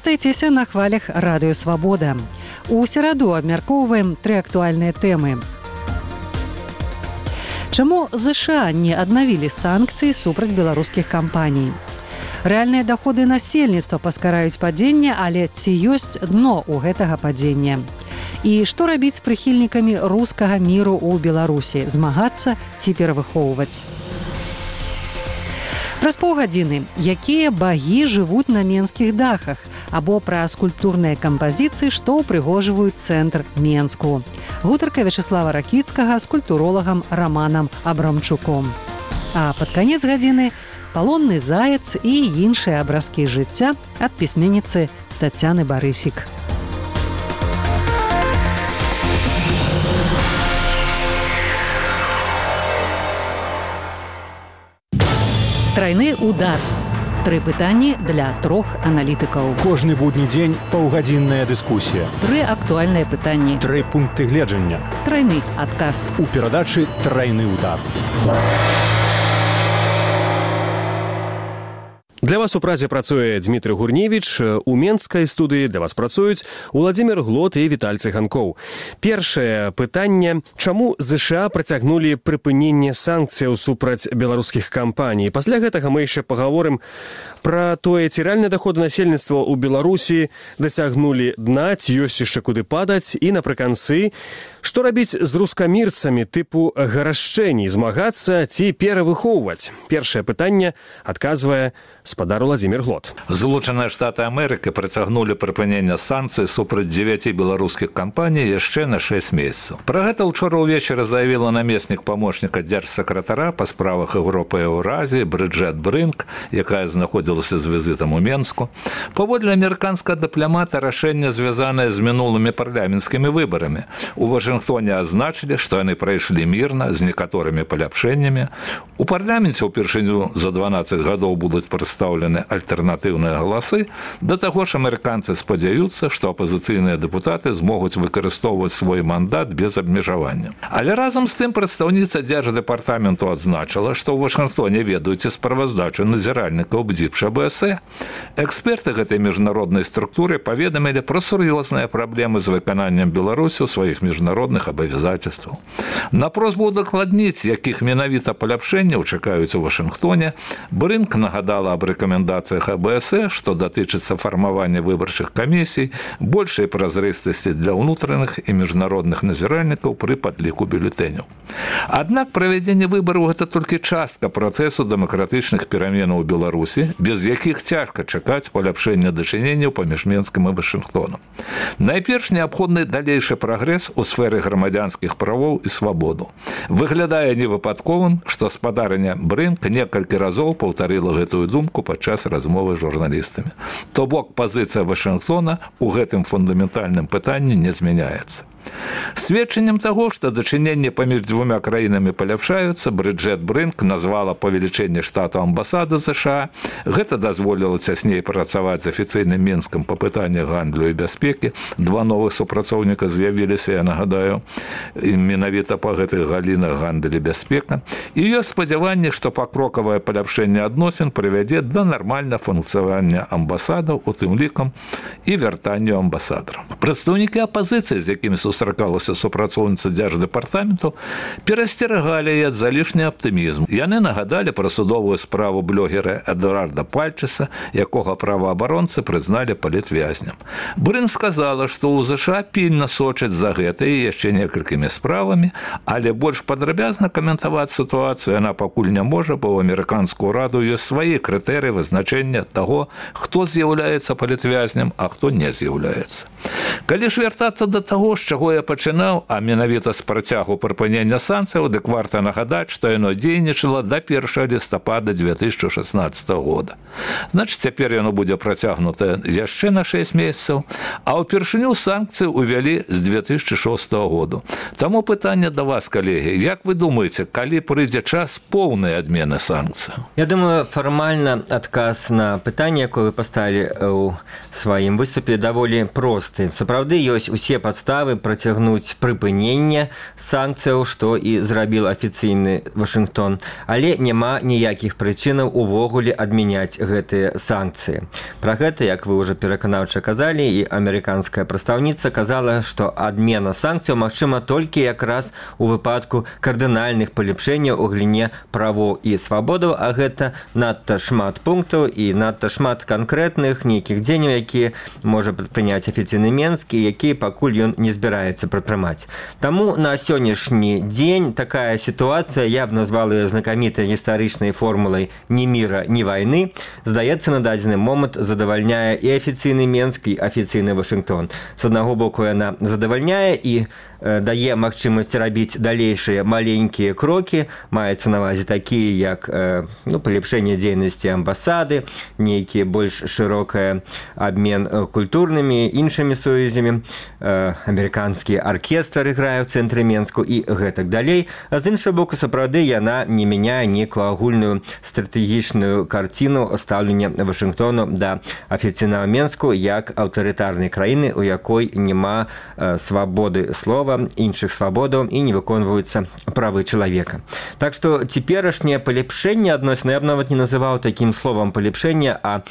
Застайцеся на хвалях Радыё Свабода. У сераду абмяркоўваем 3 актуальныя тэмы. Чаму ЗША не аднавілі санкцыі супраць беларускіх кампаній? Рэальныя даходы насельніцтва паскараюць падзенне, але ці ёсць дно ў гэтага падзення? І што рабіць з прыхільнікамі рускага міру ў Беларусі? Змагацца ці перавыхоўваць? Праз паўгадзіны, якія багі жывуць на менскіх дахах, або пра скульптурныя кампазіцыі, што ўпрыгожваюць цэнтр Менску. Гутарка Вячеслава Ракіцкага з культуролагам Раманам Абрамчуком. А пад канец гадзіны палонны заяц і іншыя абразкі жыцця ад пісьменніцы Тацяны Барысік. Трайны удар. 3 пытанні для 3 аналітыкаў. Кожны будні дзень паўгадзінная дыскусія. 3 актуальныя пытанні. 3 пункты гледжання. Трайны адказ. У перадачы «Трайны удар». Для вас у празе працуе Дмітрый Гурневіч, у менскай студыі для вас працуюць Уладзімір Глот і Віталь Цыганкоў. Першае пытанне: чаму ЗША працягнулі прыпыненне санкцыяў супраць беларускіх кампаній? Пасля гэтага мы яшчэ пагаворым пра тое, ці рэальныя даходы насельніцтва ў Беларусі дасягнулі дна, ці ёсць яшчэ куды падаць, і напрыканцы, што рабіць з рускамірцамі тыпу гарашчэній, змагацца ці перавыхоўваць? Першае пытанне адказвае спадар Уладзімір Глот. Злучаныя Штаты Амерыкі працягнулі прыпыненне санкцый супраць 9 беларускіх кампаній яшчэ на 6 месяцаў. Пра гэта ўчора ўвечары заявіла намеснік памочніка дзяржсакратара па справах Еўропы і Еўразіі Брыджэт Брынк, якая знаходзілася з візітам у Менску. Паводле амерыканскага дыпламата, рашэнне звязанае з мінулымі парламенцкімі выбарамі. У Вашынгтоне азначылі, што яны прайшлі мірна з некаторымі паляпшэннямі. У парламенце ўпершыню за 12 гадоў будуць прадстаўлены альтэрнатыўныя галасы. Да таго ж амерыканцы спадзяюцца, што апазіцыйныя дэпутаты змогуць выкарыстоўваць свой мандат без абмежавання. Але разам з тым прадстаўніца дзярждэпартаменту адзначыла, што ў Вашынгтоне ведаюць справаздачу назіральнікаў БДІПШ АБС. Эксперты гэтай міжнароднай структуры паведамілі пра сур'ёзныя праблемы з выкананнем Беларусі ў сваіх міжнародных абавязацельстваў. На просьбу удакладніць, якіх менавіта паляпшэнняў чакаюць у Вашынгтоне, Брынк нагадала аб рэкамендацыях АБС, што датычыцца фармавання выбарчых камісій, большай празрыстасці для ўнутраных і міжнародных назіральнікаў пры падліку бюлетэняў. Аднак правядзенне выбараў – гэта толькі частка працэсу дэмакратычных пераменаў у Беларусі, без якіх цяжка чакаць паляпшэння дачыненняў паміж Менскам і Вашынгтонам. Найперш неабходны далейшы прагрэс у сферы грамадзянскіх правоў і свабоду. Выглядае невыпадковым, што спадарыня Брынк некалькі разоў паўтарыла гэтую думку падчас размовы з журналістамі. То бок пазіцыя Вашынгтона ў гэтым фундаментальным пытанні не змяняецца. Сведчаннем таго, што дачыненні паміж двума краінамі паляпшаюцца, Брыджэт Брынк назвала павелічэнне штату амбасады ЗША. Гэта дазволіла цясней працаваць з афіцыйным Менскам па пытаннях гандлю і бяспекі. 2 новых супрацоўніка з'явіліся, я нагадаю, менавіта па гэтых галінах гандаль і бяспека. І ёсць спадзяванне, што пакрокавае паляпшэнне адносін прывядзе да нармальнага функцыянавання амбасадаў, у тым лікам і вяртанню амбасадараў. Прадстаўнікі апазіцыі, з якімі сустракалася супрацоўніца дзярждэпартаменту, перасцерагалі ад залішні аптымізм. Яны нагадалі пра судовую справу блогера Эдуарда Пальчеса, якога праваабаронцы прызналі палітвязням. Брын сказала, што ў ЗША пільна сочаць за гэтай і яшчэ некалькімі справамі, але больш падрабязна каментаваць сітуацыю яна пакуль не можа, бо ў амерыканскую раду ёсць свае крытэрыі вызначэння таго, хто з'яўляецца палітвязням, а хто не з'яўляецца. Калі ж вяртацца да таго, з чаго я пачынаў, а менавіта з працягу прыпынення санкцыяў, дык варта нагадаць, што яно дзейнічала да 1 лістапада 2016 года. Значыць, цяпер яно будзе працягнутае яшчэ на 6 месяцаў, а ўпершыню санкцыі ўвялі з 2006 году. Таму пытанне да вас, калегі, як вы думаеце, калі прыйдзе час поўнай адмены санкцый? Я думаю, фармальна адказ на пытанне, якое вы паставілі ў сваім выступе, даволі просты. сапраўды ёсць усе падставы працягнуць прыпыненне санкцыяў, што і зрабіў афіцыйны Вашынгтон, але няма ніякіх прычынаў увогуле адмяняць гэтыя санкцыі. Пра гэта, як вы ўжо пераканаўча казалі, і амерыканская прадстаўніца казала, што адмена санкцыяў магчыма толькі якраз у выпадку кардынальных палепшэнняў у галіне правоў і свабодаў, а гэта надта шмат пунктаў і надта шмат канкрэтных нейкіх дзеянняў, якія можа прадпрыняць афіцыйны Менск і якія пакуль ён не збіраецца прадпрымаць. Таму на сённяшні дзень такая сітуацыя, я б назвала яе знакамітай гістарычнай формулай «ні міра, ні вайны», здаецца, на дадзены момант задавальняе і афіцыйны Менск, і афіцыйны Вашынгтон. З аднаго боку, яна задавальняе і дае магчымасць рабіць далейшыя маленькія крокі, маецца на ўвазе такія, як палепшэнне дзейнасці амбасады, нейкія больш шырокая абмен культурнымі, іншымі сувязямі, амерыканскі аркестр іграе ў цэнтры Менску і гэтак далей. А з іншага боку, сапраўды, яна не мяняе нейкую агульную стратэгічную карціну стаўлення Вашынгтону да афіцыйнага Менску як аўтарытарнай краіны, у якой няма свабоды слова, іншых свабодаў і не выконваюцца правы чалавека. Так што цяперашняе палепшэнне адносін, я б нават не называў такім словам палепшэнне, а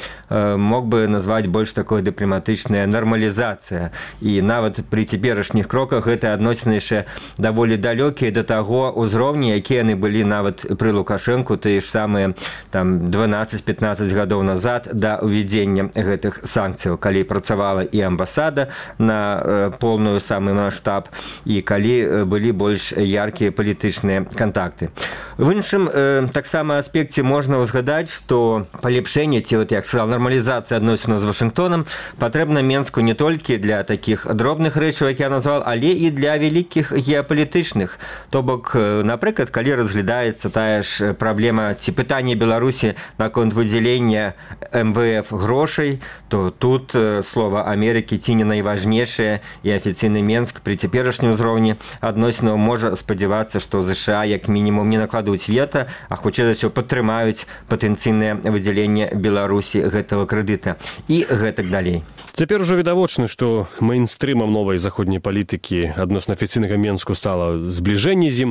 мог бы назваць больш такое дыпламатычная нармалізацыя. І нават пры цяперашніх кроках гэтыя адносіны яшчэ даволі далёкія да таго ўзроўня, якія яны былі нават пры Лукашэнку, тыя ж самыя 12-15 гадоў назад да ўвядзення гэтых санкцыяў, калі працавала і амбасада на поўную самы маштаб, і калі былі больш яркія палітычныя кантакты. В іншым таксама аспекце можна ўзгадаць, што палепшэнне, ці, як сказал, нармалізацыя адносінаў з Вашынгтонам патрэбна Менску не толькі для такіх дробных рэчаў, як я назвал, але і для вялікіх геапалітычных. То бок, напрыклад, калі разглядаецца тая ж праблема ці пытанне Беларусі наконт выдзялення МВФ грошай, то тут слова Амерыкі ці не найважнейшае, і афіцыйны Менск пры цяперашнім узроўні адносінаў можа спадзявацца, што ЗША як мінімум не накладуць вета, а хутчэй за ўсё падтрымаюць патэнцыйнае выдзяленне Беларусі гэтага крэдыта і гэтак далей. Цяпер ужо відавочна, што мэйнстрымам новай заходняй палітыкі адносна афіцыйнага Менску стала збліжэнне з ім.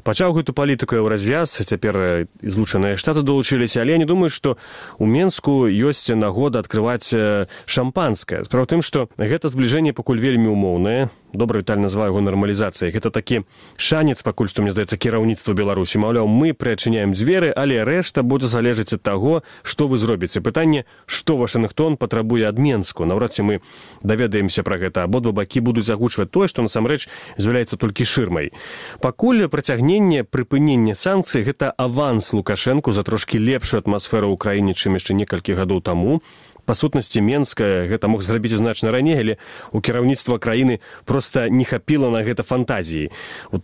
Пачаў гэту палітыку ў развяз, цяпер і Злучаныя Штаты долучыліся, але я не думаю, што ў Менску ёсць нагода адкрываць шампанскае. Справа ў тым, што гэта збліжэнне пакуль вельмі умоўнае. Добра Віталь назваў яго нармалізацыяй. Гэта такі шанец, пакуль што, мне здаецца, кіраўніцтва Беларусі. Маўляў, мы прыадчыняем дзверы, але рэшта будзе залежаць ад таго, што вы зробіце. Пытанне, што Вашынгтон патрабуе ад Менску. Наўрад ці мы даведаемся пра гэта. Абодва бакі будуць агучваць тое, што насамрэч з'яўляецца толькі шырмай. Пакуль прыцягненне, прыпыненне санкцый – гэта аванс Лукашэнку за трошкі лепшую атмасферу ў краіне, чым яшчэ некалькі гадоў таму. Па сутнасці, Менска гэта мог зрабіць значна раней, але у кіраўніцтва краіны проста не хапіла на гэта фантазіі.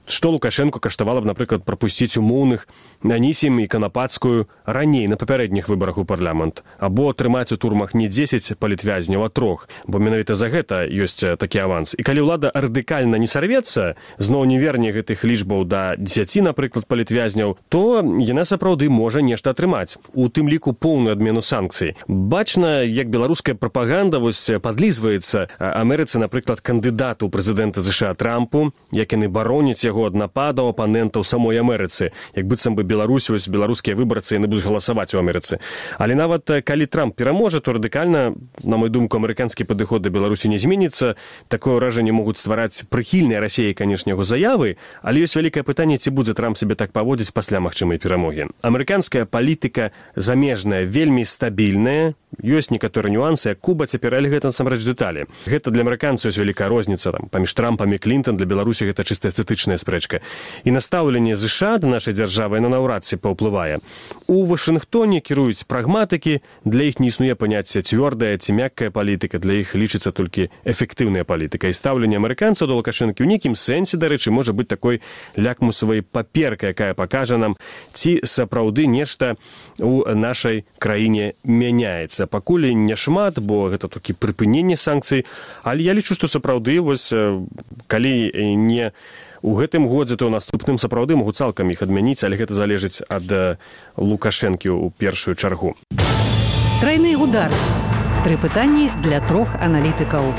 Што Лукашэнку каштавала б, напрыклад, прапусціць умоўных Анісім і Канапацкую раней на папярэдніх выбарах у парламент, або трымаць у турмах не 10 палітвязняў, а 3, бо менавіта за гэта ёсць такі аванс. І калі ўлада радыкальна не сарвецца, зноў не верне гэтых лічбаў да 10, напрыклад, палітвязняў, то яна сапраўды можа нешта атрымаць, у тым ліку поўную адмену санкцый. Бачна, як беларуская прапаганда падлізваецца Амерыцы, напрыклад, кандыдату ў прэзідэнта ЗША Трампу, як яны бароняць яго ад нападаў апанентаў самой Амерыцы, як быццам бы Беларусь, беларускія выбарцы, яны будуць галасаваць у Амерыцы. Але нават калі Трамп пераможа, то радыкальна, на мою думку, амерыканскі падыход да Беларусі не зменіцца. Такое ўражанне могуць ствараць прыхільныя Расіі, канешне, яго заявы, але ёсць вялікае пытанне, ці будзе Трамп сябе так паводзіць пасля магчымай перамогі. Амерыканская палітыка замежная вельмі стабільная, ёсць некаторыя нюансы, як Куба цяпер, але гэта насамрэч дэталі. Гэта для амерыканцаў ёсць вялікая розніца паміж Трампам і Клінтон, для Беларусі гэта чыста эстэтычная спрэчка. І настаўленне ЗША да нашай дзяржавы на наўрад ці паўплывае. У Вашынгтоне кіруюць прагматыкі, для іх не існуе паняцце цвёрдая ці мяккая палітыка, для іх лічыцца толькі эфектыўная палітыка. І стаўленне амерыканцаў да Лукашэнкі ў нейкім сэнсе, дарэчы, можа быць такой лякмусавай паперкай, якая пакажа нам, ці сапраўды нешта у нашай краіне мяняецца. Пакуль не шмат, бо гэта толькі прыпыненне санкцый, але я лічу, што сапраўды, калі не у гэтым годзе, то ў наступным сапраўды могуць цалкам іх адмяніць, але гэта залежыць ад Лукашэнкі ў першую чаргу. Трайны удар. 3 пытанні для 3 аналітыкаў.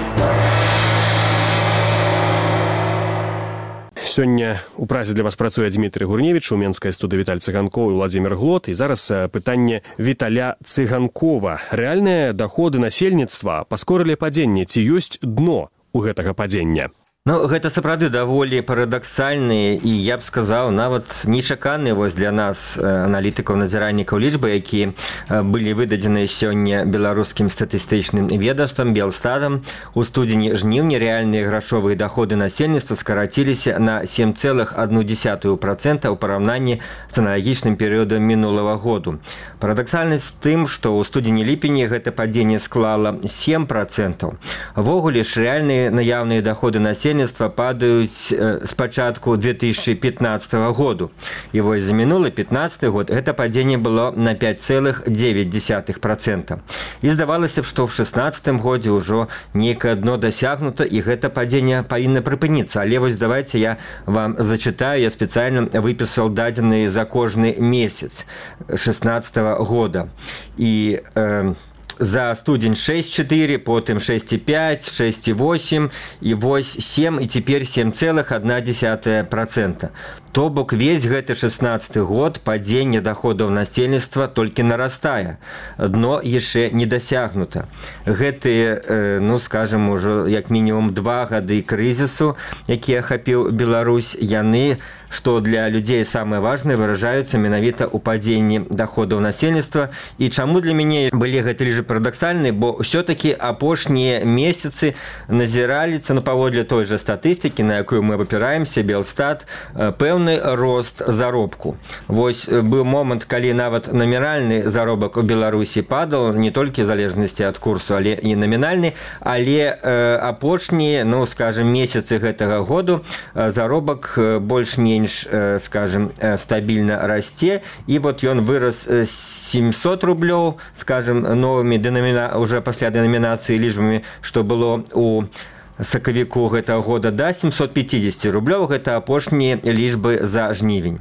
Сёння у празе для вас працуе Дмітрый Гурневіч, у менскай студыі Віталь Цыганкоў і Владзімір Глот. І зараз пытанне Віталя Цыганкова. Рэальныя даходы насельніцтва паскорылі падзенне. Ці ёсць дно у гэтага падзення? Ну, гэта сапраўды даволі парадаксальныя і, я б сказаў, нават нечаканыя для нас аналітыкаў, назіральнікаў лічбы, якія былі выдадзеныя сёння беларускім статыстычным ведомствам Белстатам. У студзені-жніўні рэальныя грашовыя даходы насельніцтва скараціліся на 7,1% ў параўнанні з аналагічным перыядам мінулага году. Парадаксальнасць тым, што ў студзені-ліпені гэта падзенне склала 7%. Ввогуле ж рэальныя наяўныя даходы насельніцтва падаюць з пачатку 2015 году. І вось за мінулы 15 год гэта падзенне было на 5,9%. І здавалася б, што ў 16 годзе ўжо нейкае дно дасягнута, і гэта падзенне павінна прыпыніцца. Але вось давайце я вам зачытаю, я спецыяльна выпісаў дадзеныя за кожны месяц 16 года. І за студень 6,4, потым 6,5, 6,8, і вось 7, і цяпер 7,1%. То бок весь гэты 16 год падзенне даходаў насельніцтва толькі нарастае. Дно яшчэ не дасягнута. Гэтыя, скажем, ужо як мінімум 2 гады крызісу, які ахапіў Беларусь, яны, што для людзей самае важнае, выражаюцца менавіта ў падзенні даходаў насельніцтва. І чаму для мяне былі гэты лічбы парадаксальныя, бо ўсё-такі апошнія месяцы назіраліся, паводле той жа статыстыкі, на якую мы абапіраемся, Белстат, пэўны рост заробку. Вось быў момант, калі нават намінальны заробак у Беларусі падал, не толькі в залежнасці ад курсу, але і намінальны, але апошнія, скажем, месяцы гэтага году заробак больш-менш, скажем, стабільна расце, і вот ён вырас 700 рублёў, скажем, новымі уже пасля дэнамінацыі лічбамі, што было у сакавіку гэтага года, да 750 рублёў, гэта апошнія лічбы за жнівень.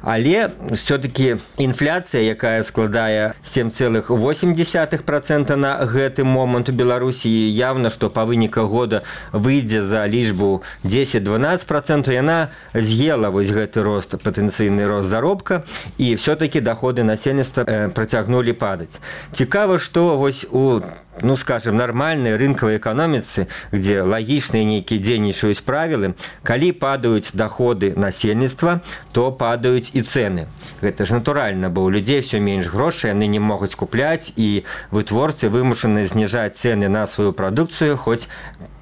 Але все-таки інфляцыя, якая складае 7,8% на гэты момант у Беларусі, явна, што па выніках года выйдзе за лічбу 10-12%, яна з'ела вось гэты рост, патэнцыйны рост заробка, і все-таки даходы насельніцтва працягнулі падаць. Цікава, што вось у скажем, нармальной рынковой экономицы, где логичные некие дзейнічаюць правілы, калі падаюць доходы насельніцтва, то падаюць і цены. Гэта ж натуральна, бо у людзей все менш грошай, яны не могуць купляць, і вытворцы вымушаны зніжаць цены на сваю прадукцыю, хоць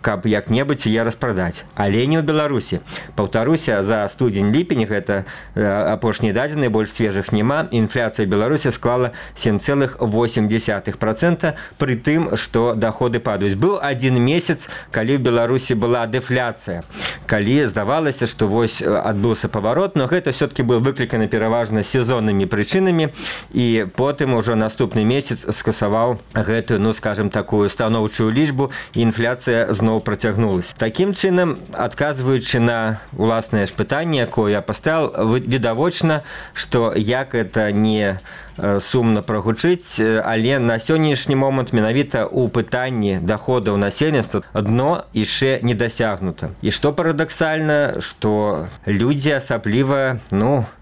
каб як-небудзь яе распрадаць. Але не ў Беларусі. Паўтаруся, за студзень-ліпень, гэта апошнія дадзеныя, больш свежых няма, інфляцыя Беларусі склала 7,8%, пры тым, што даходы падаюць. Быў адзін месяц, калі ў Беларусі была дэфляцыя, калі здавалася, што вось адбыўся паварот, но гэта все-таки был выкліканы пераважна сезоннымі прычынамі, і потым ужо наступны месяц скасаваў гэтую, скажем, такую станоўчую лічбу, і інфляцыя зноў працягнулася. Такім чынам, адказваючы на уласнае ж пытанне, якое я паставіў, відавочна, што як это не сумна прагучыць, але на сённяшні момант менавіта ў пытанні даходаў насельніцтва дно яшчэ не дасягнута. І што парадаксальна, што людзі асабліва,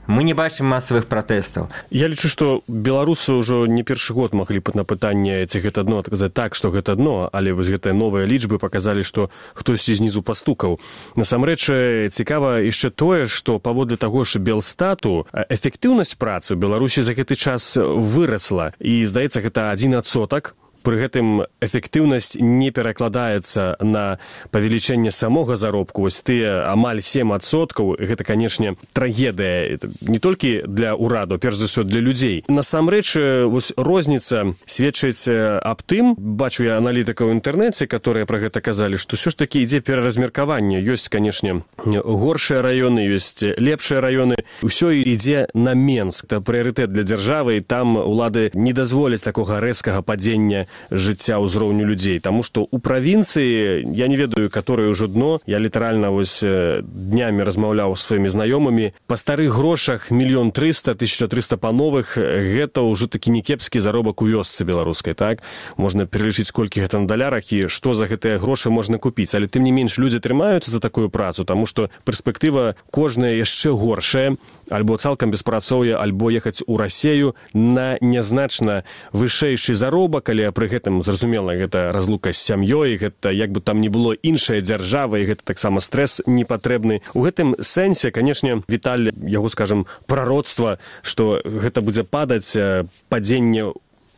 мы не бачым масавых пратэстаў. Я лічу, што беларусы ўжо не першы год маглі на пытанне, ці гэта дно, адказаць так, што гэта дно, але вось гэтыя новыя лічбы паказалі, што хтосьці знізу пастукаў. Насамрэч, цікава яшчэ тое, што паводле таго ж Белстату эфектыўнасць працы ў Беларусі за гэты час вырасла, і, здаецца, гэта 1%. Пры гэтым эфектыўнасць не перакладаецца на павелічэнне самога заробку. Вось тыя амаль 7%, гэта, канешне, трагедыя не толькі для ўраду, перш за ўсё для людзей. Насамрэч, вось розніца сведчыць аб тым, бачу я аналітыкаў у інтэрнэце, которые пра гэта казалі, што ўсё ж такі ідзе пераразмеркаванне. Ёсць, канешне, горшыя раёны, ёсць лепшыя раёны. Усё ідзе на Менск. Это прыярытэт для дзяржавы, і там улады не дазволяць такога рэзкага падзення жыцця ўзроўню людзей, таму што ў правінцыі я не ведаю, каторае ўжо дно, я літаральна вось днямі размаўляў з сваімі знаёмымі, па старых грошах 1 300 000 1300 па новых, гэта ўжо такі некепскі заробак у вёсцы беларускай, так? Можна пералічыць, колькі гэта на далярах і што за гэтыя грошы можна купіць, але тым не менш людзі трымаюцца за такую працу, таму што перспектыва кожная яшчэ горшая, альбо цалкам беспрацоўе, альбо ехаць у Расею на нязначна вышэйшы заробак, але пры гэтым, зразумела, гэта разлука з сям'ёй, гэта як бы там не было іншая дзяржава, і гэта таксама стрэс непатрэбны. У гэтым сэнсе, канешне, Віталь, яго, скажам, пророцтва, што гэта будзе падаць, падзенне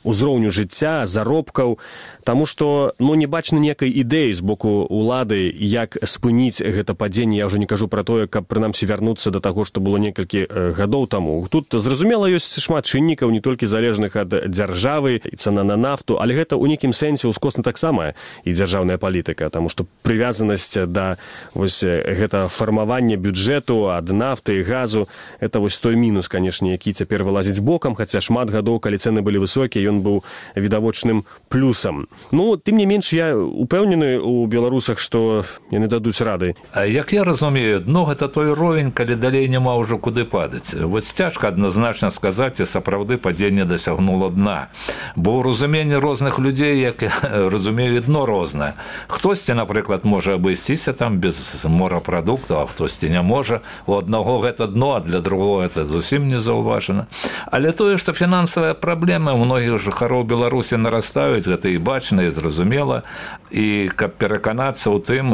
узроўню жыцця, заробкаў, таму што не бачна некай ідэі з боку ўлады, як спыніць гэта падзенне. Я ўжо не кажу пра тое, каб прынамсі вярнуцца да таго, што было некалькі гадоў таму. Тут, зразумела, ёсць шмат чыннікаў, не толькі залежных ад дзяржавы, і цана на нафту, але гэта ў нейкім сэнсе ўскосна таксама і дзяржаўная палітыка, таму што прывязанасць да вось гэта фармавання бюджэту ад нафты і газу, это вось той мінус, канешне, які цяпер вылазіць бокам, хаця шмат гадоў, калі цэны былі высокія, ён быў відавочным плюсам. Тым не менш, я упэўнены ў беларусах, што яны дадуць рады. Як я разумею, дно гэта той ровень, калі далей няма ўжо куды падаць. Вось цяжка адназначна сказаць, і сапраўды падзенне дасягнула дна. Бо ў разуменні розных людзей, як я разумею, дно рознае. Хтосьці, напрыклад, можа абысціся там без морапрадуктаў, а хтосьці не можа. У аднаго гэта дно, а для другого гэта зусім не заўважана. Але тое, што фінансавыя праблемы ў многіх жыхароў Беларусі нарастаюць, гэта і бачна, і зразумела. І каб пераканацца ў тым,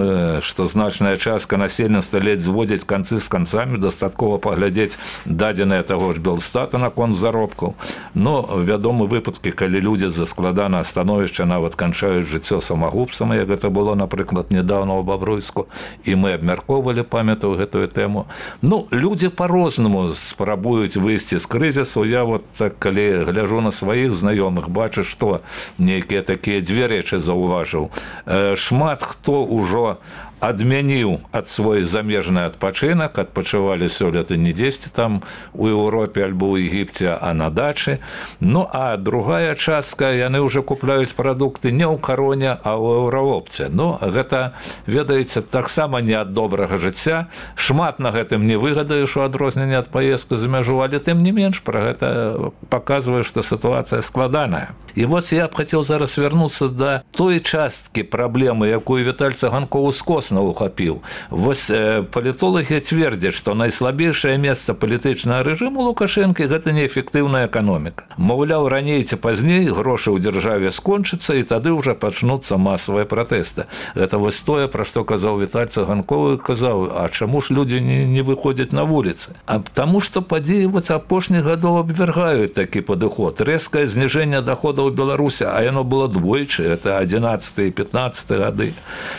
што значная частка насельніцтва ледзь зводзіць канцы з канцамі, дастаткова паглядзець дадзеныя таго ж Белстата наконт заробкаў. Вядомы выпадкі, калі людзі за складанае становішча нават канчаюць жыццё самагубствам, як гэта было, напрыклад, нядаўна ў Бабруйску, і мы абмяркоўвалі, памятаю гэтую тэму. Людзі па-рознаму спрабуюць выйсці з крызісу. Я калі гляжу на сваіх знаёмых, бачу, што нейкія такія дзве рэчы заўважыў. Шмат хто ўжо адмяніў ад свой замежны адпачынак, адпачывалі сёлета не дзесьці там у Еўропе альбо ў Егіпце, а на дачы. А другая частка, яны ўжо купляюць прадукты не ў Кароне, а ў Еўраопце. Гэта, ведаеце, таксама не ад добрага жыцця. Шмат на гэтым не выгадаеш у адрозненне ад паездкі за мяжу, але тым не менш пра гэта паказвае, што сітуацыя складаная. І я б хацеў зараз вярнуцца да той часткі праблемы, якую Віталь Цыганкоў ускосна ухапіў. Палітолагі цвердзяць, што найслабейшае месца палітычнага рэжыму Лукашэнкі – гэта неэфектыўная эканоміка. Маўляў, раней ці пазней грошы ў дзяржаве скончацца, і тады ўжо пачнуцца масавыя пратэсты. Гэта тое, пра што казаў Віталь Цыганкоў, казаў, а чаму ж людзі не выходзяць на вуліцы? Таму што падзеі апошніх гадоў абвяргаюць такі падыход. Рэзкае зніжэнне даходаў у Беларусі, а яно было двойчы, это 11 і 15 гады.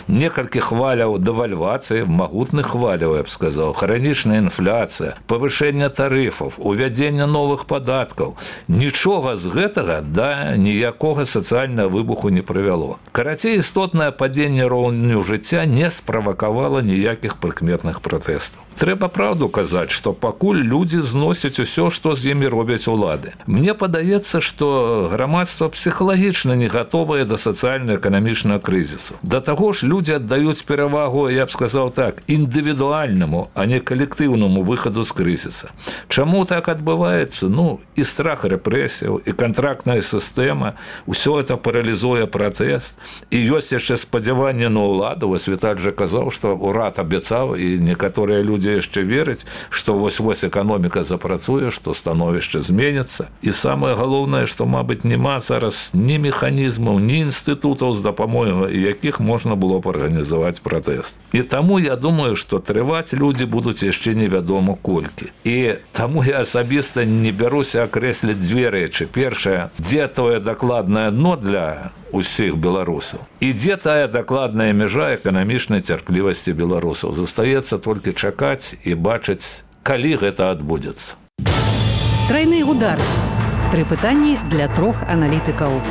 Некалькі хваляў дэвальвацыі, магутных хваляў, я б сказаў, хранічная інфляцыя, павышэнне тарыфаў, увядзенне новых падаткаў. Нічога з гэтага да ніякога сацыяльнага выбуху не прывяло. Карацей, істотнае падзенне роўню жыцця не справакавала ніякіх прыкметных пратэстаў. Трэба праўду казаць, што пакуль людзі зносяць усё, што з імі робяць улады. Мне падаецца, што грамадства псіхалагічна не гатовае да сацыяльна-эканамічнага крызісу. Да таго ж людзі аддаюць перавагу, я б сказаў так, індывідуальнаму, а не калектыўнаму выхаду з крызіса. Чаму так адбываецца? І страх рэпрэсіяў, і кантрактная сістэма, усё это паралізуе пратэст. І ёсць яшчэ спадзяванне на ўладу. Віталь жа казаў, што ўрад абяцаў, і некаторыя людзі яшчэ вераць, што вось-вось эканоміка запрацуе, што становішча зменіцца. І самае галоўнае, што, мабыць, няма зараз ні механізмаў, ні інстытутаў, з дапамогай якіх можна было б арганізаваць пратэст. І таму я думаю, што трываць людзі будуць яшчэ невядома колькі. І таму я асабіста не бяруся акрэсліць дзве рэчы. Першае, дзе тое дакладнае дно для усіх беларусаў. І дзе тая дакладная мяжа эканамічнай цярплівасці беларусаў. Застаецца толькі чакаць і бачыць, калі гэта адбудзецца. Трайны удар. 3 пытанні для 3 аналітыкаў.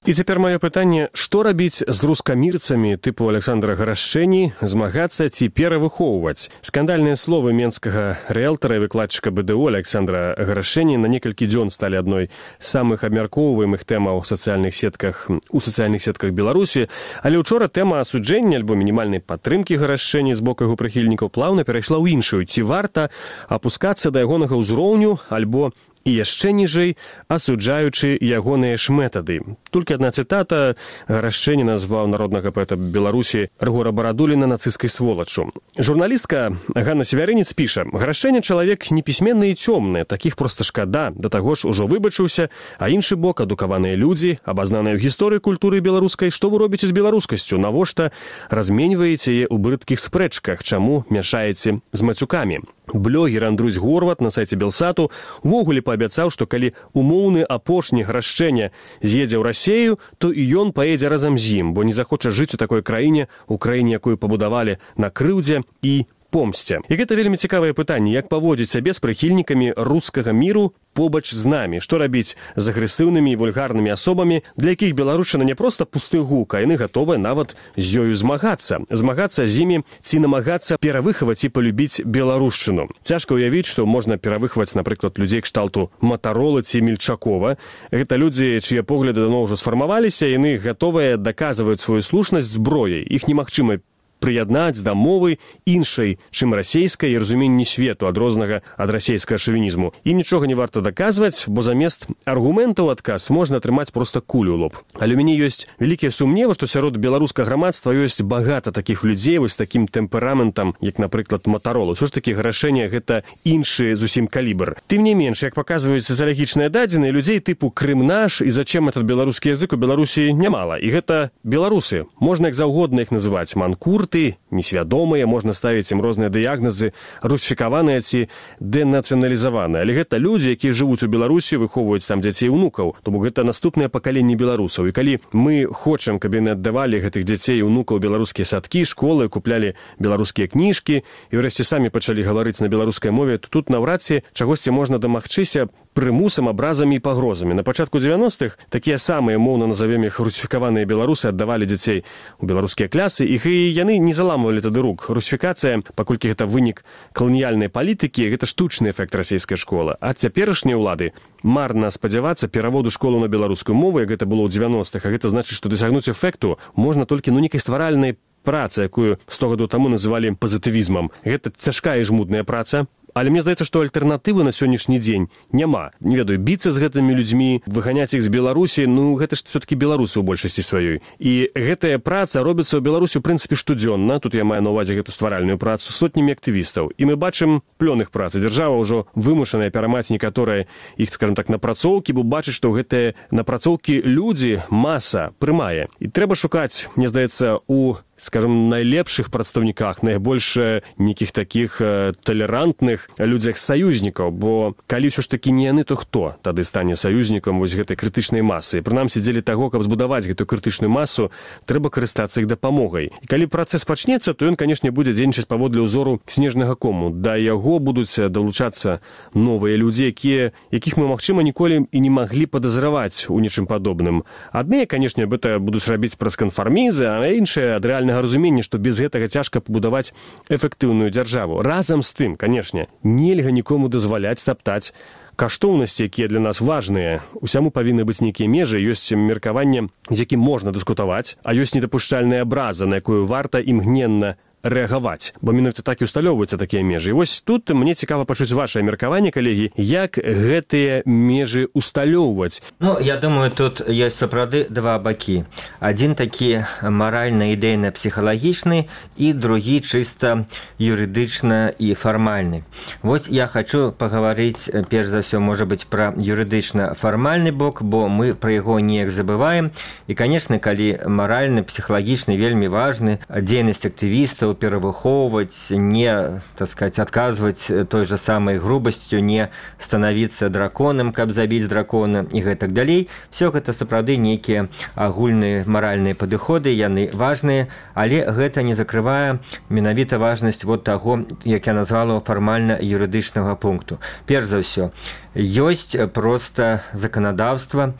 І цяпер маё пытанне, што рабіць з рускамірцамі тыпу Александра Гарашчэні, змагацца ці перавыхоўваць? Скандальныя словы менскага рыэлтара і выкладчыка БДУ Александра Гарашчэні на некалькі дзён сталі адной з самых абмяркоўваемых тэмаў у сацыяльных сетках Беларусі, але учора тэма асуджэння альбо мінімальнай падтрымкі Гарашчэні з боку яго прыхільнікаў плаўна перайшла ў іншую. Ці варта апускацца да ягонага ўзроўню альбо і яшчэ ніжэй, асуджаючы ягоныя ж метады. Толькі адна цытата: Гарашчэні назваў народнага паэта Беларусі Рыгора Барадуліна нацысцкай сволачу. Журналістка Ганна Севярынец піша: Гарашчэня чалавек непісьменны і цёмны, такіх проста шкада, да таго ж ужо выбачыўся, а іншы бок адукаваныя людзі, абазнаныя ў гісторыі культуры беларускай. Што вы робіце з беларускасцю? Навошта разменьваеце яе ў брыдкіх спрэчках? Чаму мяшаеце з мацюкамі? Блогер Андрусь Горват на сайце Белсату увогуле паабяцаў, што калі умоўны апошні Гарашчэня з'едзе ў Расею, то і ён паедзе разам з ім, бо не захоча жыць у такой краіне, у краіне, якую пабудавалі на крыўдзе і помсце. І гэта вельмі цікавае пытанне, як паводзіць сябе з прыхільнікамі рускага міру побач з намі, што рабіць з агрэсыўнымі і вульгарнымі асобамі, для якіх беларушчына не проста пусты гук, а яны гатовыя нават з ёю змагацца з імі ці намагацца перавыхаваць і палюбіць беларушчыну. Цяжка ўявіць, што можна перавыхаваць, напрыклад, людзей кшталту Матарола ці Мельчакова. Гэта людзі, чыя погляды даўно ўжо сфармаваліся, яны гатовыя даказваюць сваю слушнасць зброяй. Іх немагчыма прыяднаць да мовы іншай, чым расейскай, і разуменні свету адрознага ад расейскага шавінізму. Ім нічога не варта даказваць, бо замест аргументаў адказ можна атрымаць проста кулю ў лоб. Але ў мяне ёсць вялікія сумневы, што сярод беларускага грамадства ёсць багата такіх людзей вось такім тэмпераментам, як, напрыклад, Матарола. Усё ж такі Гарашчэня гэта іншы зусім калібр. Тым не менш, як паказваюць сацыялагічныя дадзеныя, людзей тыпу Крым-наш і зачем этот беларускі язык у Беларусі нямала. І гэта беларусы. Можна як заўгодна іх называць: манкур, несвядомыя, можна ставіць ім розныя дыягназы, русіфікаваныя ці дэнацыяналізаваныя. Але гэта людзі, якія жывуць у Беларусі, выхоўваюць там дзяцей і ўнукаў. То бок гэта наступнае пакаленне беларусаў. І калі мы хочам, каб яны аддавалі гэтых дзяцей і ўнукаў беларускія садкі, школы, куплялі беларускія кніжкі і ўрэшце самі пачалі гаварыць на беларускай мове, то тут наўрад ці чагосьці можна дамагчыся прымусам, абразамі і пагрозамі. На пачатку 90-х такія самыя, моўна назовем іх, русіфікаваныя беларусы аддавалі дзяцей у беларускія клясы, іх і яны не заламвалі тады рук. Русіфікацыя, паколькі гэта вынік каланіяльнай палітыкі, гэта штучны эфект расійскай школы. А цяперашнія ўлады марна спадзявацца пераводу школу на беларускую мову, як гэта было ў 90-х, а гэта значыць, што дасягнуць эфекту можна толькі нейкай стваральнай працы, якую 100 гадоў таму называлі пазітывізмам. Гэта цяжкая і жмутная праца. Але мне здаецца, што альтэрнатывы на сённяшні дзень няма. Не ведаю, біцца з гэтымі людзьмі, выганяць іх з Беларусі, гэта ж все-таки беларусы ў большасці сваёй. І гэтая праца робіцца ў Беларусі, у прынцыпе, штодзённа. Тут я маю на ўвазе гэту стваральную працу сотнямі актывістаў. І мы бачым плён іх працы. Дзяржава ўжо вымушаная перамаць некаторыя іх, скажем так, напрацоўкі, бо бачыць, што гэтыя напрацоўкі людзі маса прымае. І трэба шукаць, мне здаецца, у, скажем, найлепшых прадстаўніках, найбольш нейкіх такіх талерантных людзях саюзнікаў, бо калі ўсё ж такі не яны, то хто тады стане саюзнікам вось гэтай крытычнай масы? Прынамсі, дзеля таго, каб збудаваць гэтую крытычную масу, трэба карыстацца іх дапамогай. І калі працэс пачнецца, то ён, канешне, будзе дзейнічаць паводле ўзору снежнага кому. Да яго будуць далучацца новыя людзі, якіх мы, магчыма, ніколі і не маглі падазраваць у нечым падобным. Адныя, канешне, гэта будуць рабіць праз канфармізы, а іншыя ад рэальнага разумення, што без гэтага цяжка пабудаваць эфектыўную дзяржаву. Разам з тым, канешне, нельга нікому дазваляць таптаць каштоўнасці, якія для нас важныя. Усяму павінны быць нейкія межы, ёсць меркаванне, з якім можна дыскутаваць, а ёсць недапушчальная абраза, на якую варта імгненна рэагаваць, бо менавіта так і ўсталёўваюцца такія межы. І вось тут мне цікава пачуць вашае меркаванне, калегі, як гэтыя межы ўсталёўваць. Я думаю, тут ёсць сапраўды два бакі. Адзін такі маральна-ідэйна-псіхалагічны і другі чыста юрыдычна і фармальны. Вось я хачу пагаварыць, перш за ўсё, можа быць, пра юрыдычна-фармальны бок, бо мы пра яго неяк забываем. І, канешне, калі маральна-псіхалагічны вельмі важны, дзейнасць актывістаў перавыхоўваць, не, так сказать, адказваць той жа самай грубасцю, не станавіцца драконам, каб забіць дракона і гэтак далей. Все гэта сапраўды нейкія агульныя маральныя падыходы, яны важныя, але гэта не закрывае менавіта важнасць вот таго, як я назвала, фармальна-юрыдычнага пункту. Перш за ўсё, ёсць проста заканадаўства,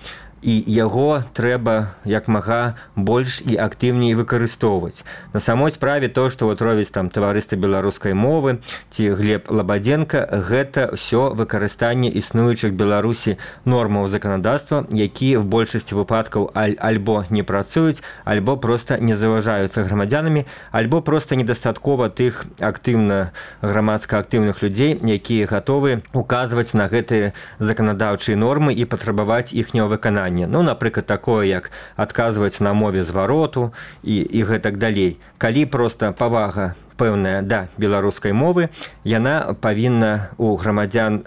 і яго трэба як мага больш і актыўней выкарыстоўваць. На самой справе то, што вот робіць там таварыства беларускай мовы ці Глеб Лабадзенка, гэта ўсё выкарыстанне існуючых Беларусі нормаў заканадаўства, якія в большасці выпадкаў альбо не працуюць, альбо проста не заўважаюцца грамадзянамі, альбо проста недастаткова тых актыўна грамадска актыўных людзей, якія гатовы указваць на гэтыя заканадаўчыя нормы і патрабаваць іхняго выканання. Ну, напрыклад, такое, як адказваць на мове звароту і гэтак далей. Калі проста павага пэўная да беларускай мовы, яна павінна у грамадзян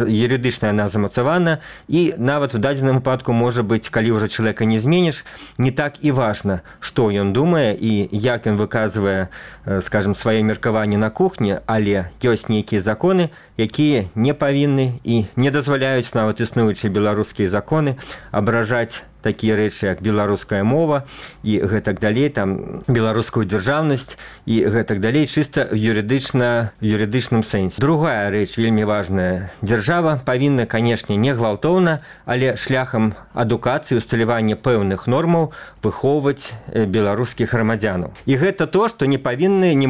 юрыдычна яна замацавана, і нават у дадзеным выпадку можа быць, калі ўжо чалавека не зменіш, не так і важна, што ён думае і як ён выказвае, скажем, свае меркаванні на кухні, але ёсць нейкія законы, якія не павінны і не дазваляюць нават існуючыя беларускія законы абражаць такія рэчы, як беларуская мова і гэтак далей, там беларускую дзяржаўнасць і гэтак далей, чыста юрыдычным сэнсе. Другая рэч вельмі важная. Дзяржава павінна, канешне, не гвалтоўна, але шляхам адукацыі, усталявання пэўных нормаў выхоўваць беларускіх грамадзянаў. І гэта то, што не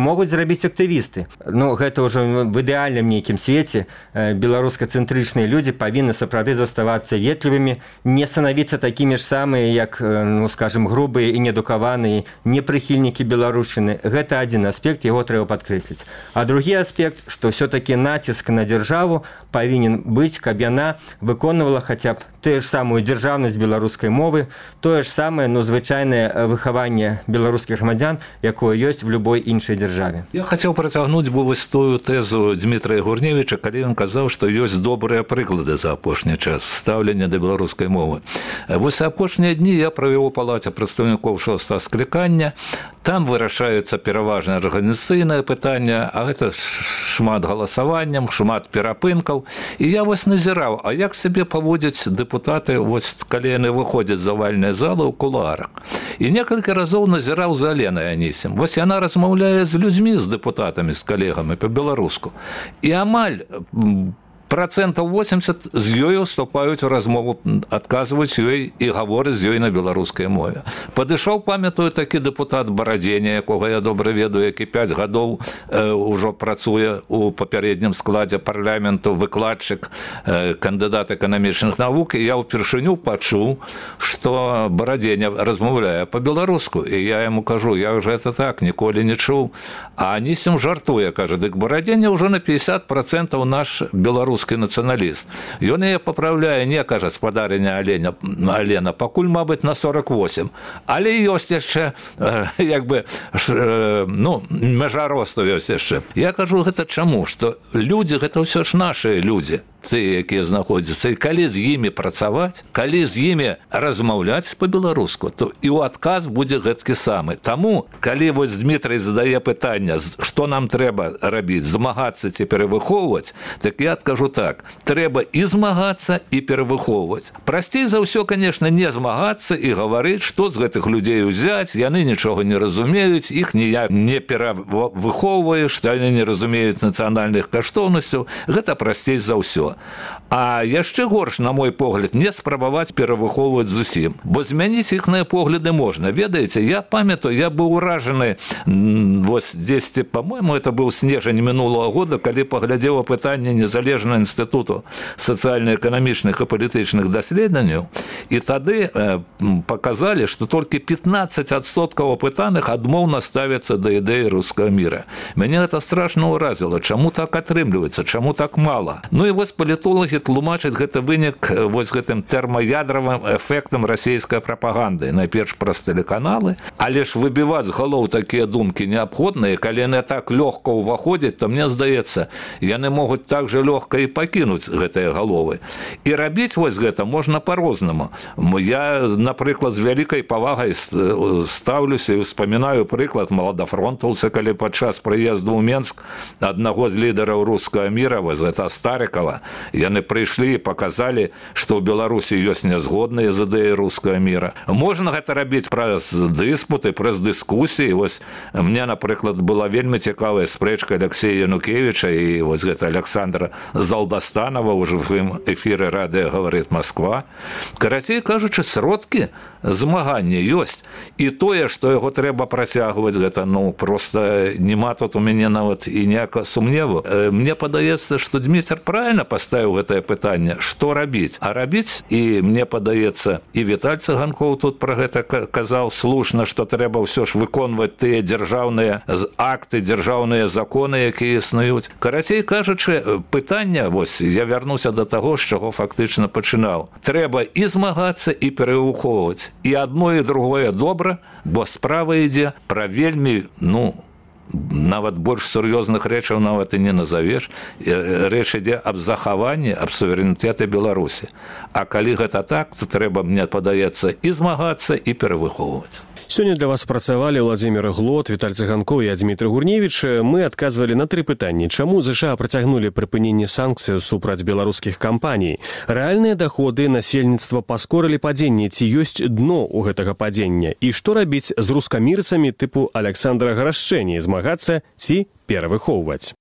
могуць зрабіць актывісты. Ну, гэта ўжо в ідэальным нейкім свеце беларуска-цэнтрычныя людзі павінны сапраўды заставацца ветлівымі, не станавіцца такімі ж самыя, як, ну, скажем, грубыя і неадукаваныя непрыхільнікі беларушчыны. Гэта адзін аспект, яго трэба падкрэсліць. А другі аспект, што ўсё-такі націск на дзяржаву павінен быць, каб яна выконвала хаця б тую ж самую дзяржаўнасць беларускай мовы, тое ж самае, ну, звычайнае выхаванне беларускіх грамадзян, якое ёсць в любой іншай дзяржаве. Я хацеў працягнуць вось тую тэзу Дмітрая Гурневіча, калі ён казаў, што ёсць добрыя прыклады за апошні час стаўлення да беларускай мовы. Вось апошнія дні я правёў у палаце прадстаўнікоў 6-го склікання. Там вырашаюцца пераважна арганізацыйнае пытанне, а гэта шмат галасаванням, шмат перапынкаў. І я вось назіраў, а як сябе паводзяць дэпутаты, вось калі яны выходзяць з авальнай залы ў кулуарах. І некалькі разоў назіраў за Аленай Анісім. Вось яна размаўляе з людзьмі, з дэпутатамі, з калегамі па-беларуску. І амаль 80% з ёй уступаюць у размову, адказваюць ёй і гавораць з ёй на беларускай мове. Падышоў, памятаю, такі дэпутат Барадзеня, якога я добра ведаю, які 5 гадоў ужо працуе у папярэднім складзе парламенту, выкладчык, кандыдат эканамічных навук, і я ўпершыню пачуў, што Барадзеня размаўляе па-беларуску. І я яму кажу, як жа это так, ніколі не чуў. А Анісім жартуе, кажа, дык Барадзеня ўжо на 50% наш беларускі нацыяналіст. Ён яе папраўляе, не, кажа, спадарыня Алена, пакуль, мабыць, на 48. Але ёсць яшчэ, як бы, ну, мяжа росту ёсць яшчэ. Я кажу, гэта чаму? Што людзі, гэта ўсё ж нашыя людзі, тыя, якія знаходзяцца. І калі з імі працаваць, калі з імі размаўляць па-беларуску, то і ў адказ будзе гэткі самы. Таму, калі вось Дмітрый задае пытанне, што нам трэба рабіць, змагацца ці перавыхоўваць, так я адкажу так, трэба і змагацца, і перавыхоўваць. Прасцей за ўсё, конечно, не змагацца і гаварыць, што з гэтых людзей узяць, яны нічога не разумеюць, іх ніяк не перавыхоўвае, што яны не разумеюць нацыянальных каштоўнасцяў, гэта прасцей за ўсё. А яшчэ горш, на мой погляд, не спрабаваць перавыхоўваць зусім, бо змяніць іхныя погляды можна. Ведаеце, я памятаю, я быў уражаны, вось дзесьці, по-моему, это быў снежань мінулого года, калі паглядзеў пытанне незалежнага інстытуту сацыяльна-эканамічных і палітычных даследаванняў, і тады паказалі, што толькі 15% апытаных адмоўна ставяцца да ідэі рускага міра. Мяне гэта страшна ўразіла. Чаму так атрымліваецца? Чаму так мала? Ну і вось палітолагі тлумачаць гэта вынік вось гэтым тэрмаядравым эфектам расійскай прапаганды. Найперш праз тэлеканалы, але ж выбіваць з галоў такія думкі неабходныя, калі яны так лёгка ўваходзяць, то мне здаецца, яны могуць так жа лёгка і пакінуць гэтыя галовы. І рабіць вось гэта можна па-рознаму. Я, напрыклад, з вялікай павагай стаўлюся і ўспамінаю прыклад маладафронтаўца, калі падчас прыезду ў Менск аднаго з лідараў рускага міра, вось гэта Старыкова, Яны прыйшлі і паказалі, што ў Беларусі ёсць нязгодныя з ідэяй рускага міра. Можна гэта рабіць праз дыспуты, праз дыскусіі. Вось мне, напрыклад, была вельмі цікавая спрэчка Алексея Янукевіча і вось гэта Александра Залдастанова ў жывым эфіры радыё «Говорит Москва». Карацей кажучы, сродкі змагання ёсць. І тое, што яго трэба працягваць, гэта, проста нема тут у мяне нават і ніякага сумневу. Мне падаецца, што Дмітр правильно паставіў гэтае пытанне, што рабіць. А рабіць, і мне падаецца, і Віталь Цыганкоў тут пра гэта казаў слушна, што трэба ўсё ж выконваць тыя дзяржаўныя акты, дзяржаўныя законы, якія існуюць. Карацей кажучы, пытанне, вось, я вярнуся да таго, з чаго фактычна пачынаў. Трэба і змагацца, і перавыхоўваць. І адно, і другое добра, бо справа ідзе пра вельмі, нават больш сур'ёзных рэчаў нават і не назавеш. Рэч ідзе аб захаванні, аб суверэнітэты Беларусі. А калі гэта так, то трэба, мне падаецца, і змагацца, і перавыхоўваць. Сёння для вас працавалі Владзімір Глот, Віталь Цыганкоў і Дзмітрый Гурневіч. Мы адказвалі на 3 пытанні. Чаму ЗША працягнулі прыпыненне санкцый супраць беларускіх кампаній? Рэальныя даходы насельніцтва паскорылі падзенне, ці ёсць дно ў гэтага падзення? І што рабіць з рускамірцамі тыпу Александра Гарашчэні, змагацца ці перавыхоўваць?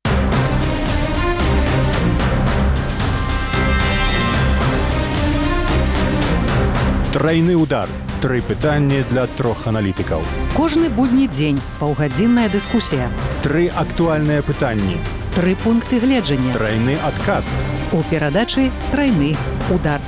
Трайны удар. 3 пытанні для 3 аналітыкаў. Кожны будні дзень паўгадзінная дыскусія. 3 актуальныя пытанні. 3 пункты гледжання. Трайны адказ. У перадачы «Трайны удар».